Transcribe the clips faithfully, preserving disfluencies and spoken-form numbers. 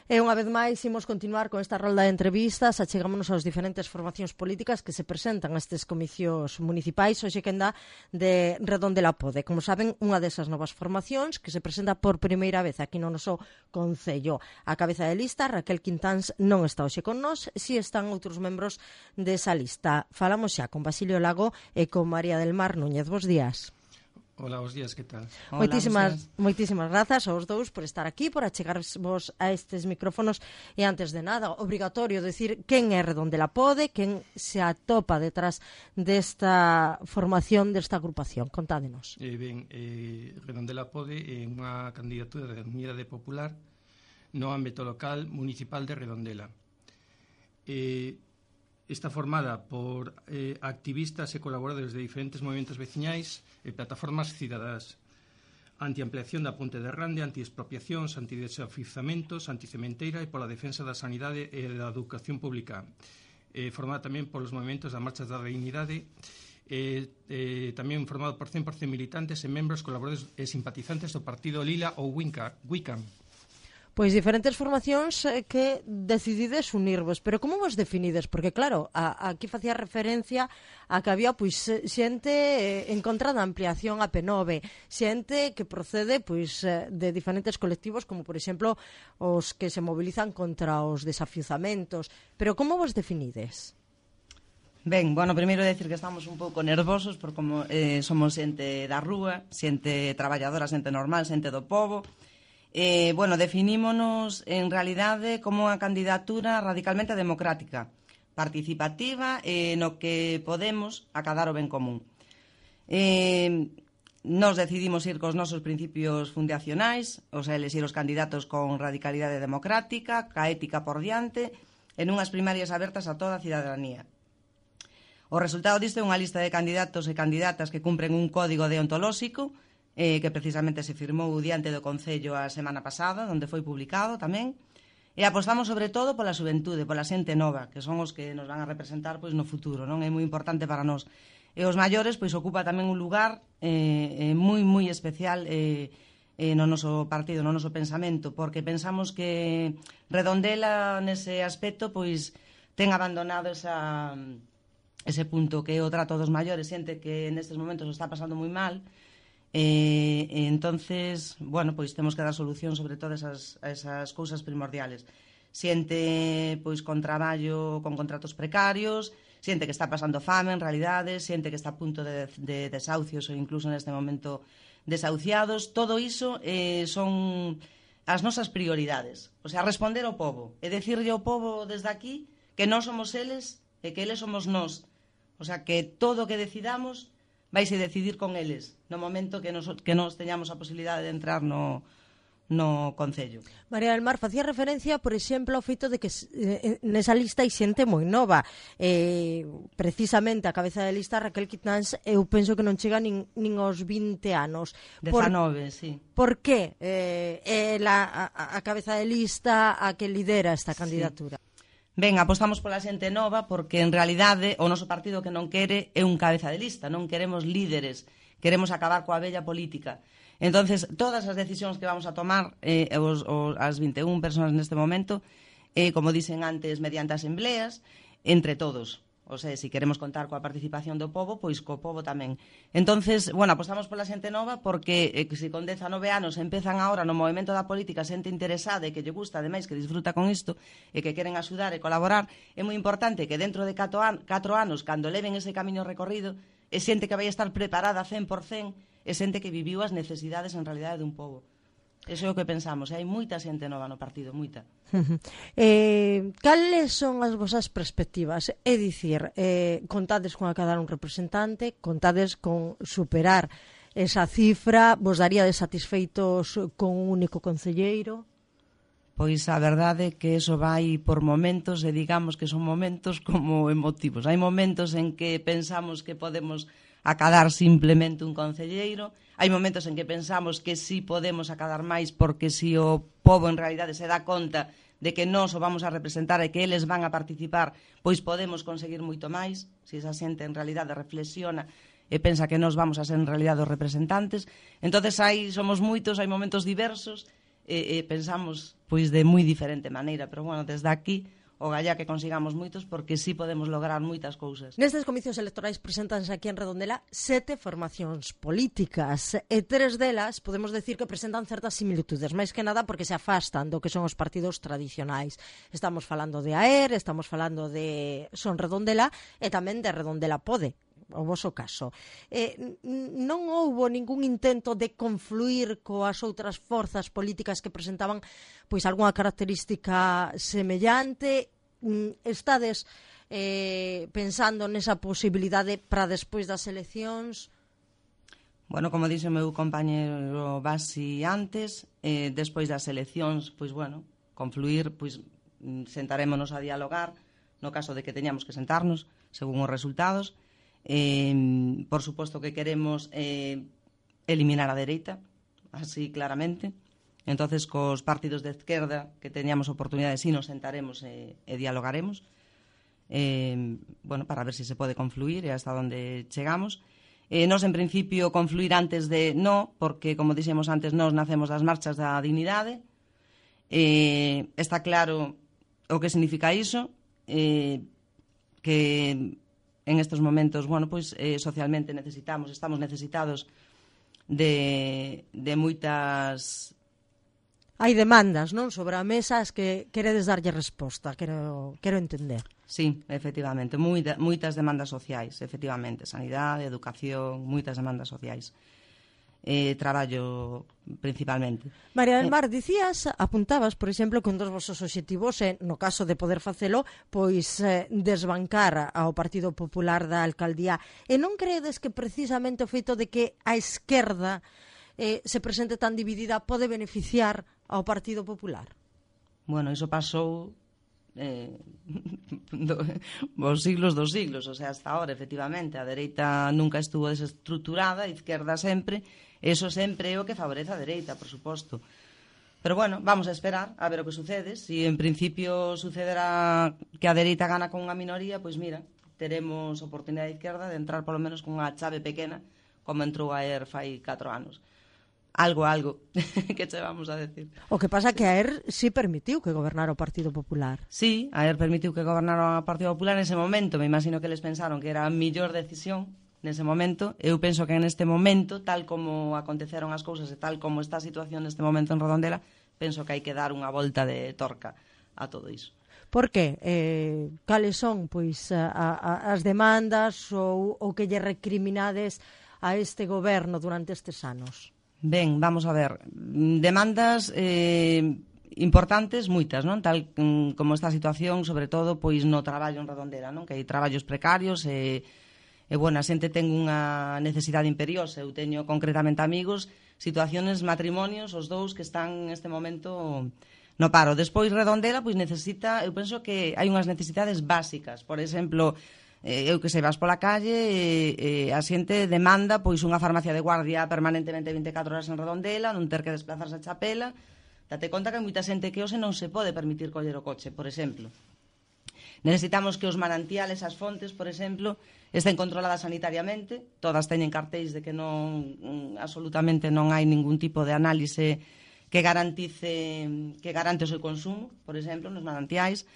E unha vez máis imos continuar con esta rolda de entrevistas, achegámonos aos diferentes formacións políticas que se presentan a estes comicios municipais. Hoxe quen dá de Redondela Pode. Como saben, unha desas novas formacións que se presenta por primeira vez aquí no noso concello. A cabeza de lista, Raquel Quintáns, non está hoxe con nós, si están outros membros desa lista. Falamos xa con Basilio Lago e con María del Mar Núñez. Bos días. Hola, bos días, que tal? Hola, moitísimas, moitísimas grazas aos dous por estar aquí, por achegarvos a estes micrófonos. E antes de nada, obrigatorio decir quen é Redondela Pode, quen se atopa detrás desta formación, desta agrupación. Contádenos. Eh, ben, eh, Redondela Pode é unha candidatura da Unidade Popular no ámbito local municipal de Redondela. Eh, Está formada por eh, activistas e colaboradores de diferentes movimentos veciñais e plataformas cidadás, anti-ampliación da Ponte de Rande, anti-expropiacións, anti-desafizamentos, anti-cementeira e pola defensa da sanidade e da educación pública. Eh, formada tamén polos movimentos da Marcha da Dignidade, eh, eh, tamén formado por cen por cento militantes e membros, colaboradores e simpatizantes do Partido Lila ou Wicam. Pois diferentes formacións que decidides unirvos, pero como vos definides? Porque claro, a, aquí facía referencia a que había pois xente en contra da ampliación a P nove, xente que procede pois de diferentes colectivos, como por exemplo os que se mobilizan contra os desafiuzamentos, pero como vos definides? Ben, bueno, primeiro decir que estamos un pouco nervosos por como eh, somos xente da rúa, xente traballadora, xente normal, xente do pobo. Eh, bueno, definímonos en realidade como unha candidatura radicalmente democrática, participativa e eh, no que podemos acadar o ben común. Eh, nos decidimos ir cos nosos principios fundacionais, o sea, elegir os candidatos con radicalidade democrática, ca ética por diante, en unhas primarias abertas a toda a cidadanía. O resultado disto é unha lista de candidatos e candidatas que cumpren un código deontolóxico eh, que precisamente se firmou diante do Concello a semana pasada, onde foi publicado tamén, e apostamos sobre todo pola xuventude, pola xente nova, que son os que nos van a representar pois no futuro, non é moi importante para nós. E os maiores pois ocupa tamén un lugar eh, eh, moi moi especial eh, eh, no noso partido, no noso pensamento, porque pensamos que Redondela nese aspecto pois ten abandonado esa, ese punto que é o trato dos maiores, xente que nestes momentos o está pasando moi mal. Eh, entonces, bueno, pois temos que dar solución sobre todas esas, esas cousas primordiales. Xente pois con traballo, con contratos precarios, xente que está pasando fame en realidade, xente que está a punto de, de desahucios ou incluso neste momento desahuciados. Todo iso eh, son as nosas prioridades. O sea, responder ao povo e decirlle ao povo desde aquí que nós somos eles e que eles somos nós. O sea, que todo o que decidamos vaise decidir con eles no momento que nos, que nos teñamos a posibilidade de entrar no, no Concello. María del Mar, facía referencia, por exemplo, ao feito de que eh, nesa lista hai xente moi nova. Eh, precisamente a cabeza de lista, Raquel Quintáns, eu penso que non chega nin, nin aos vinte anos. dezanove, sí. Por que eh, é la, a, a cabeza de lista a que lidera esta candidatura? Sí. Ben, apostamos pola xente nova porque en realidade o noso partido que non quere é un cabeza de lista, non queremos líderes, queremos acabar coa vella política. Entonces, todas as decisións que vamos a tomar eh, os, os, as vinte e unha persoas neste momento, eh, como dicen antes, mediante asembleas, entre todos. O sea, se si queremos contar coa participación do povo, pois co povo tamén. Entonces, bueno, apostamos pola xente nova porque eh, se con dezanove anos empezan agora no movimento da política xente interesada e que lle gusta, ademais, que disfruta con isto e que queren axudar e colaborar, é moi importante que dentro de catro, an catro anos, cando leven ese camiño recorrido, é xente que vai estar preparada cen por cen, é xente que viviu as necesidades en realidade dun povo. Eso é o que pensamos, hai moita xente nova no partido, moita. eh, cales son as vosas perspectivas? É dicir, eh, contades con acadar un representante, contades con superar esa cifra, vos daríades satisfeitos con un único concelleiro? Pois a verdade é que eso vai por momentos e digamos que son momentos como emotivos. Hai momentos en que pensamos que podemos acadar simplemente un concelleiro, hai momentos en que pensamos que sí podemos acadar máis porque si o povo en realidade se dá conta de que nós o vamos a representar e que eles van a participar, pois podemos conseguir moito máis, se esa xente en realidade reflexiona e pensa que nós vamos a ser en realidade os representantes. Entonces hai, somos moitos, hai momentos diversos, e, e pensamos pois de moi diferente maneira, pero bueno, desde aquí o gallá que consigamos moitos, porque sí podemos lograr moitas cousas. Nestes comicios electorais presentanse aquí en Redondela sete formacións políticas e tres delas podemos decir que presentan certas similitudes, máis que nada porque se afastan do que son os partidos tradicionais. Estamos falando de A E R, estamos falando de Son Redondela e tamén de Redondela Pode, o voso caso. Eh, non houbo ningún intento de confluir coas outras forzas políticas que presentaban pois algunha característica semellante? Estades eh, pensando nesa posibilidade para despois das eleccións? Bueno, como dixo o meu compañero Basi antes, eh, despois das eleccións, pois bueno, confluir, pois sentarémonos a dialogar, no caso de que teñamos que sentarnos, según os resultados. Eh, por suposto que queremos eh, eliminar a dereita, así claramente. Entonces, cos partidos de izquierda que teñamos oportunidade, si nos sentaremos e, e dialogaremos, eh, bueno, para ver se si se pode confluir e hasta onde chegamos. Eh, nos, en principio, confluir antes de no, porque, como dixemos antes, nos nacemos das marchas da dignidade. Eh, está claro o que significa iso, eh, que en estes momentos, bueno, pois eh, socialmente necesitamos, estamos necesitados de, de moitas... Hai demandas, non, sobre a mesa as que queredes darlle resposta, quero, quero entender. Sí, efectivamente, moita, moitas demandas sociais, efectivamente, sanidade, educación, moitas demandas sociais. Eh, traballo principalmente. María del Mar, dicías, apuntabas, por exemplo, que un dos vosos obxectivos é, no caso de poder facelo, pois eh, desbancar ao Partido Popular da Alcaldía. E non creedes que precisamente o feito de que a esquerda eh, se presente tan dividida pode beneficiar ao Partido Popular? Bueno, iso pasou eh, do, os siglos dos siglos, o sea, hasta ahora, efectivamente, a dereita nunca estuvo desestruturada, a izquierda sempre, eso sempre é o que favorece a dereita, por suposto. Pero bueno, vamos a esperar a ver o que sucede. Si en principio sucederá que a dereita gana con unha minoría, pois mira, teremos oportunidade de izquierda de entrar polo menos con unha chave pequena, como entrou a E R fai catro anos. Algo, algo, que che vamos a decir. O que pasa que a E R sí permitiu que gobernara o Partido Popular. Sí, a E R permitiu que gobernara o Partido Popular nese momento. Me imagino que eles pensaron que era a mellor decisión nese momento. Eu penso que neste momento, tal como aconteceron as cousas e tal como está a situación neste momento en Redondela, penso que hai que dar unha volta de torca a todo iso. Por que? Eh, cales son pois a, a, as demandas ou o que lle recriminades a este goberno durante estes anos? Ben, vamos a ver, demandas eh, importantes, moitas, non? Tal mm, como esta situación, sobre todo, pois no traballo en Redondela, non? Que hai traballos precarios e, e bueno, a xente ten unha necesidade imperiosa. Eu teño concretamente amigos, situaciones, matrimonios, os dous que están neste momento no paro. Despois Redondela, pois necesita, eu penso que hai unhas necesidades básicas, por exemplo, Eh, eu que sei, vas pola calle e eh, a xente demanda pois unha farmacia de guardia permanentemente vinte e catro horas en Redondela, non ter que desplazarse a Chapela. Date conta que hai moita xente que hoxe non se pode permitir coller o coche, por exemplo. Necesitamos que os manantiales, as fontes, por exemplo, estén controladas sanitariamente, todas teñen cartéis de que non absolutamente non hai ningún tipo de análise que garantice que garante o seu consumo, por exemplo, nos manantiais.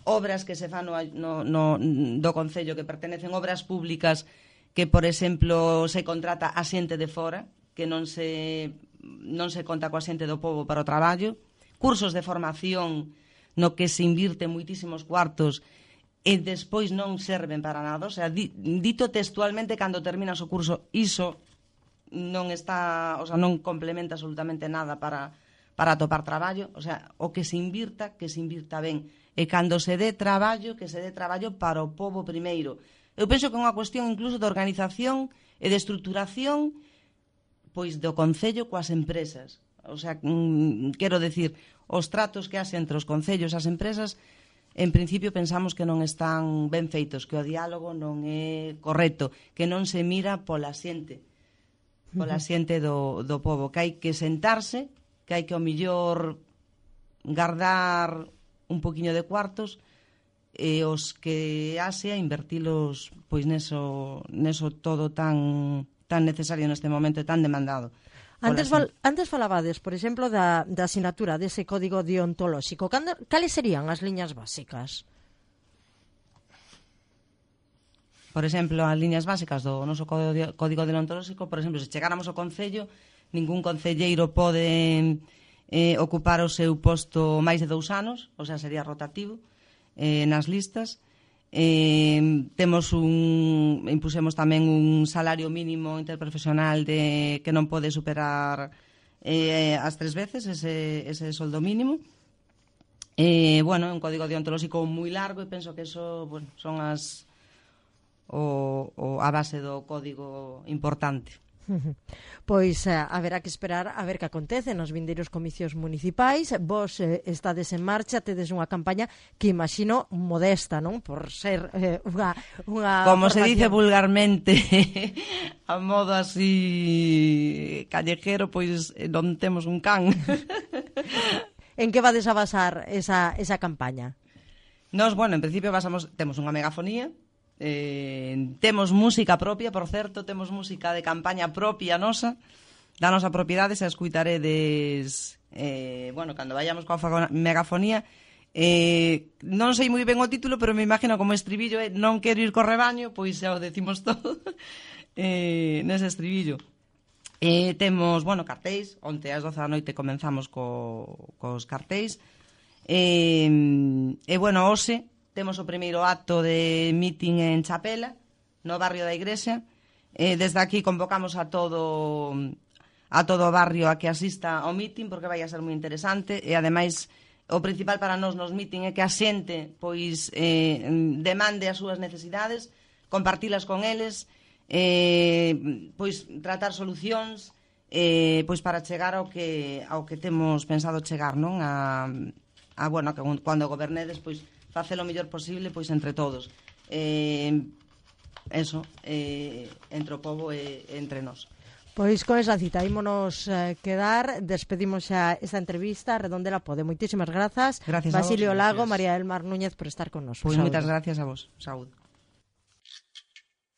Obras que se fan no, no, no, do Concello que pertenecen, obras públicas que, por exemplo, se contrata a xente de fora, que non se, non se conta coa xente do pobo para o traballo, cursos de formación no que se invirte moitísimos cuartos e despois non serven para nada. O sea, di, dito textualmente, cando terminas o curso, iso non está, o sea, non complementa absolutamente nada para, para atopar traballo. O sea, o que se invirta, que se invirta ben. E cando se dé traballo, que se dé traballo para o pobo primeiro. Eu penso que é unha cuestión incluso de organización e de estructuración pois do Concello coas empresas. O sea, mm, quero decir, os tratos que haxe entre os concellos e as empresas, en principio pensamos que non están ben feitos, que o diálogo non é correcto, que non se mira pola xente, pola xente do, do pobo, que hai que sentarse, que hai que ao millor guardar un poquinho de cuartos e os que haxe a invertilos pois neso, neso todo tan tan necesario neste momento e tan demandado. Antes, val, antes falabades, por exemplo, da, da asignatura dese código deontolóxico. Cales serían as liñas básicas? Por exemplo, as liñas básicas do noso código deontolóxico, por exemplo, se chegáramos ao Concello, ningún concelleiro pode eh, ocupar o seu posto máis de dous anos, o sea, sería rotativo eh, nas listas. Eh, temos un, impusemos tamén un salario mínimo interprofesional de, que non pode superar eh, as tres veces ese, ese soldo mínimo. Eh, bueno, un código deontolóxico moi largo e penso que eso, bueno, son as o, o a base do código importante. Pois eh, haberá que esperar a ver que acontece nos vindeiros comicios municipais. Vos eh, estades en marcha, tedes unha campaña que imagino modesta, non? Por ser eh, unha, unha como formación. Se dice vulgarmente a modo así callejero, pois non temos un can. En que vades a basar esa, esa campaña? Nos, bueno, en principio basamos, temos unha megafonía. Eh, temos música propia, por certo, temos música de campaña propia nosa, da nosa propiedade, se a escuitaredes eh, bueno, cando vayamos coa megafonía. Eh, non sei moi ben o título, pero me imagino como estribillo é eh, non quero ir co rebaño, pois xa o decimos todo eh, nese estribillo. Eh, temos, bueno, cartéis, onte ás doce da noite comenzamos co, cos cartéis. Eh, e, bueno, hoxe temos o primeiro acto de meeting en Chapela, no barrio da Igrexa. Eh, desde aquí convocamos a todo a todo o barrio a que asista ao meeting, porque vai a ser moi interesante, e ademais o principal para nós nos meeting é que a xente pois eh, demande as súas necesidades, compartilas con eles, eh, pois tratar solucións eh, pois para chegar ao que ao que temos pensado chegar, non? A, a bueno, que cando gobernedes, pois facer o mellor posible pois entre todos. Eh, eso, eh, entre o pobo e entre nós. Pois con esa cita ímonos eh, quedar, despedimos xa esta entrevista a Redondela Pode. Moitísimas grazas, gracias Basilio a vos, Lago, gracias. María del Mar Núñez por estar con nos. Pois moitas gracias a vos. Saúde.